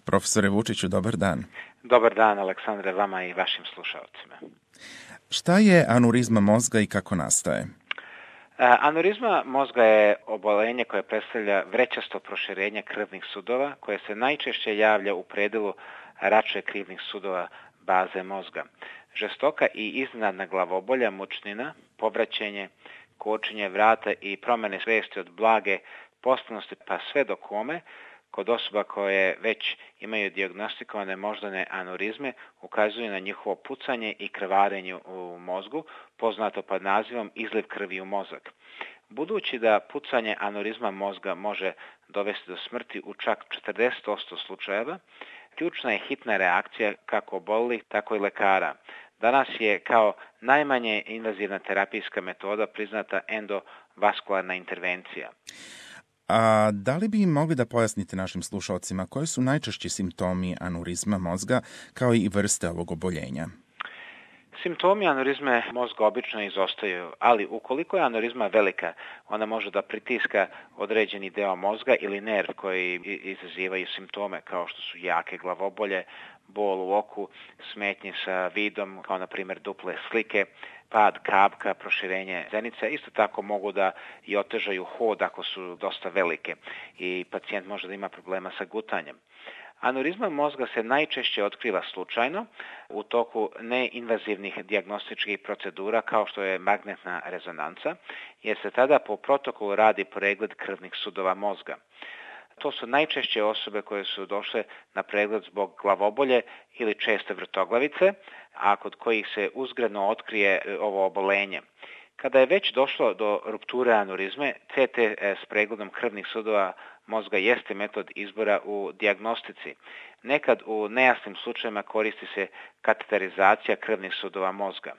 Profesore Vučiću, dobar dan. Dobar dan, Aleksandre, vama i vašim slušalcima. Šta je anurizma mozga i kako nastaje? Anurizma mozga je oboljenje koje predstavlja vrećasto proširenje krvnih sudova koje se najčešće javlja u predelu račve krvnih sudova baze mozga. Žestoka i iznenadna glavobolja, mučnina, povraćenje, kočenje vrata i promjene svijesti od blage potpunosti pa sve do kome kod osoba koje već imaju dijagnostikovane moždane anurizme ukazuju na njihovo pucanje i krvarenje u mozgu, poznato pod nazivom izliv krvi u mozak. Budući da pucanje anurizma mozga može dovesti do smrti u čak 40% slučajeva, ključna je hitna reakcija kako oboljelih, tako i lekara. Danas je kao najmanje invazivna terapijska metoda priznata endovaskularna intervencija. A da li bi mogli da pojasnite našim slušalcima koji su najčešći simptomi anurizma mozga kao i vrste ovog oboljenja? Simptomi anurizme mozga obično izostaju, ali ukoliko je anurizma velika, ona može da pritiska određeni deo mozga ili nerv koji izazivaju simptome kao što su jake glavobolje, bol u oku, smetnje sa vidom, kao na primjer duple slike, pad kapka, proširenje zenice. Isto tako mogu da i otežaju hod ako su dosta velike i pacijent može da ima problema sa gutanjem. Anurizma mozga se najčešće otkriva slučajno u toku neinvazivnih dijagnostičkih procedura kao što je magnetna rezonanca, jer se tada po protokolu radi pregled krvnih sudova mozga. To su najčešće osobe koje su došle na pregled zbog glavobolje ili česte vrtoglavice, a kod kojih se uzgredno otkrije ovo obolenje. Kada je već došlo do rupture anurizme, CT s pregledom krvnih sudova mozga jeste metod izbora u dijagnostici. Nekad u nejasnim slučajevima koristi se kateterizacija krvnih sudova mozga.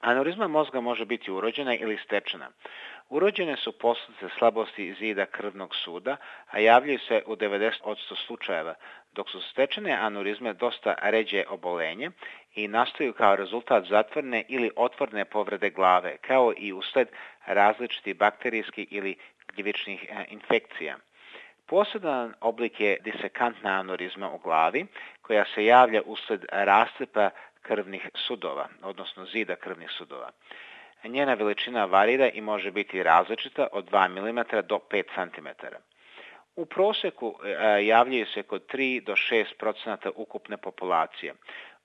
Anurizma mozga može biti urođena ili stečena. Urođene su posljedice slabosti zida krvnog suda, a javljaju se u 90% slučajeva, dok su stečene anurizme dosta ređe obolenje i nastaju kao rezultat zatvorene ili otvorene povrede glave, kao i usled različitih bakterijskih ili gljivičnih infekcija. Poseban oblik je disekantna anurizma u glavi, koja se javlja usled rascepa krvnih sudova, odnosno zida krvnih sudova. Njena veličina varira i može biti različita od 2 mm do 5 cm. U prosjeku javljaju se kod 3 do 6% ukupne populacije.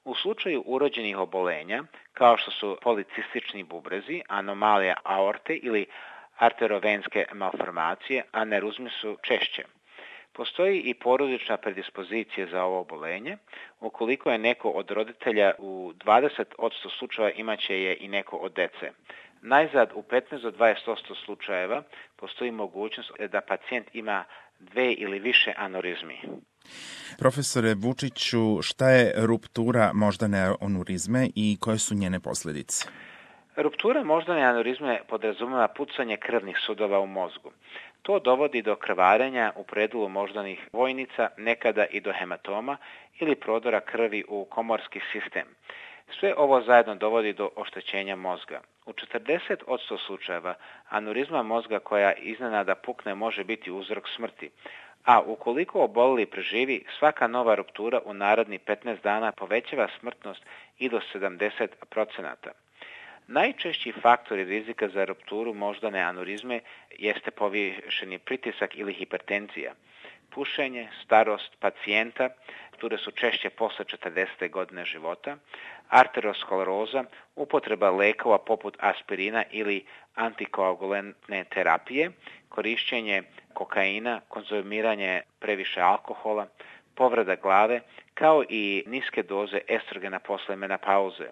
U slučaju urođenih obolenja, kao što su policistični bubrezi, anomalija aorte ili arterovenske malformacije, anerizme su češće. Postoji i porodična predispozicija za ovo obolenje. Ukoliko je neko od roditelja, u 20% slučajeva imaće je i neko od dece. Najzad u 15 do 20% slučajeva postoji mogućnost da pacijent ima 2 ili više anurizmi. Profesore Vučiću, šta je ruptura moždane anurizme i koje su njene posljedice? Ruptura moždane anurizme podrazumeva pucanje krvnih sudova u mozgu. To dovodi do krvarenja u predelu moždanih vojnica, nekada i do hematoma ili prodora krvi u komorski sistem. Sve ovo zajedno dovodi do oštećenja mozga. U 40% slučajeva anurizma mozga koja iznenada pukne može biti uzrok smrti, a ukoliko oboleli preživi, svaka nova ruptura u narednih 15 dana povećava smrtnost i do 70%. Najčešći faktori rizika za rupturu moždane anurizme jeste povišeni pritisak ili hipertenzija, pušenje, starost pacijenta, rupture su češće posle 40. godine života, arterioskleroza, upotreba lekova poput aspirina ili antikoagulantne terapije, korišćenje kokaina, konzumiranje previše alkohola, povreda glave, kao i niske doze estrogena posle menopauze.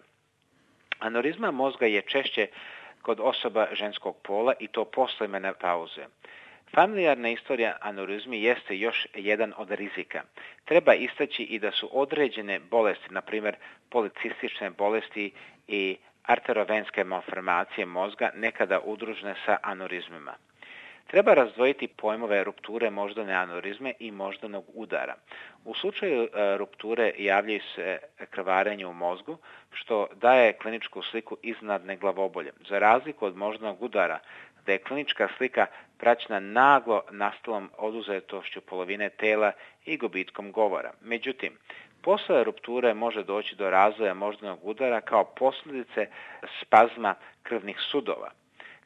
Anurizma mozga je češće kod osoba ženskog pola i to posle menopauze. Familijarna istorija anurizmi jeste još jedan od rizika. Treba istaći i da su određene bolesti, na primjer policistične bolesti i arterovenske malformacije mozga nekada udružene sa anurizmima. Treba razdvojiti pojmove rupture moždane anurizme i moždanog udara. U slučaju rupture javljaju se krvarenje u mozgu, što daje kliničku sliku iznenadne glavobolje. Za razliku od moždanog udara, da je klinička slika praćena naglo nastalom oduzetošću polovine tela i gubitkom govora. Međutim, posle rupture može doći do razvoja moždanog udara kao posljedice spazma krvnih sudova.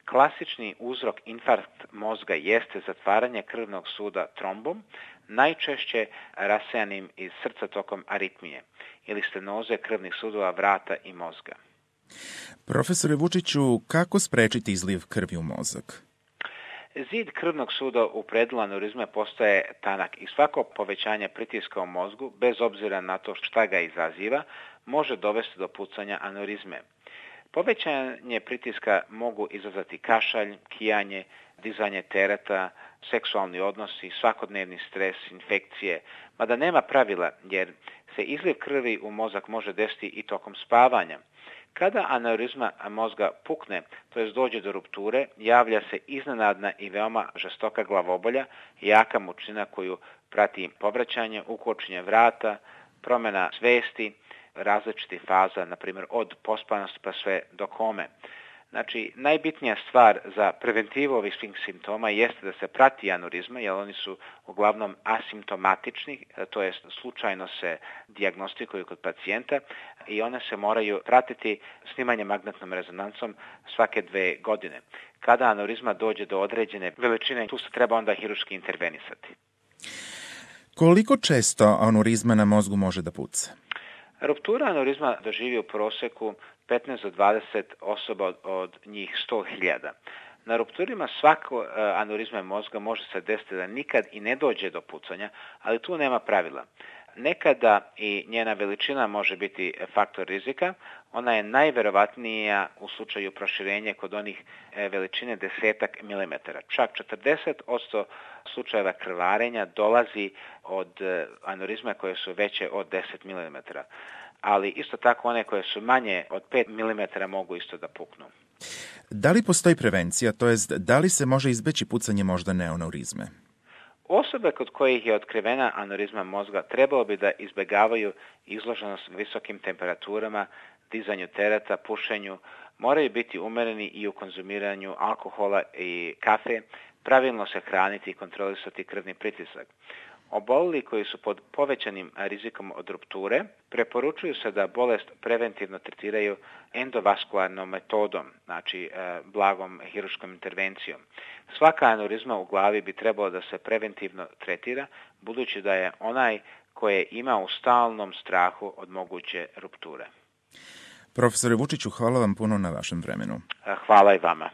Klasični uzrok infarkt mozga jeste zatvaranje krvnog suda trombom, najčešće rasejanim iz srca tokom aritmije ili stenoze krvnih sudova vrata i mozga. Profesore Vučiću, kako sprečiti izliv krvi u mozak? Zid krvnog suda u predelu aneurizme postaje tanak i svako povećanje pritiska u mozgu, bez obzira na to šta ga izaziva, može dovesti do pucanja aneurizme. Povećanje pritiska mogu izazvati kašalj, kijanje, dizanje tereta, seksualni odnosi, svakodnevni stres, infekcije, mada nema pravila jer se izliv krvi u mozak može desiti i tokom spavanja. Kada aneurizma mozga pukne, to jest dođe do rupture, javlja se iznenadna i veoma žestoka glavobolja, jaka mučnina koju prati povraćanje, ukočenje vrata, promjena svesti, različitih faza, na primjer od pospanosti pa sve do kome. Znači, najbitnija stvar za preventivu ovih svih simptoma jeste da se prati aneurizma, jer oni su uglavnom asimptomatični, to jest slučajno se dijagnostikuju kod pacijenta i one se moraju pratiti snimanjem magnetnom rezonancom svake 2 godine. Kada aneurizma dođe do određene veličine, tu se treba onda hiruški intervenisati. Koliko često aneurizma na mozgu može da puca? Ruptura aneurizma doživi u proseku 15 do 20 osoba od njih 100.000. Na rupturima svako aneurizme mozga može se desiti da nikad i ne dođe do pucanja, ali tu nema pravila. Nekada i njena veličina može biti faktor rizika, ona je najverovatnija u slučaju proširenja kod onih veličine 10 milimetara. Čak 40% slučajeva krvarenja dolazi od aneurizma koje su veće od 10 milimetara. Ali isto tako one koje su manje od 5 milimetara mogu isto da puknu. Da li postoji prevencija, to jest da li se može izbeći pucanje moždane aneurizme? Osobe kod kojih je otkrivena aneurizma mozga trebalo bi da izbjegavaju izloženost visokim temperaturama, dizanju tereta, pušenju, moraju biti umereni i u konzumiranju alkohola i kafe, pravilno se hraniti i kontrolisati krvni pritisak. Obolili koji su pod povećanim rizikom od rupture preporučuju se da bolest preventivno tretiraju endovaskularnom metodom, znači blagom hiruškom intervencijom. Svaka aneurizma u glavi bi trebalo da se preventivno tretira, budući da je onaj koje ima u stalnom strahu od moguće rupture. Profesore Vučiću, hvala vam puno na vašem vremenu. Hvala i vama.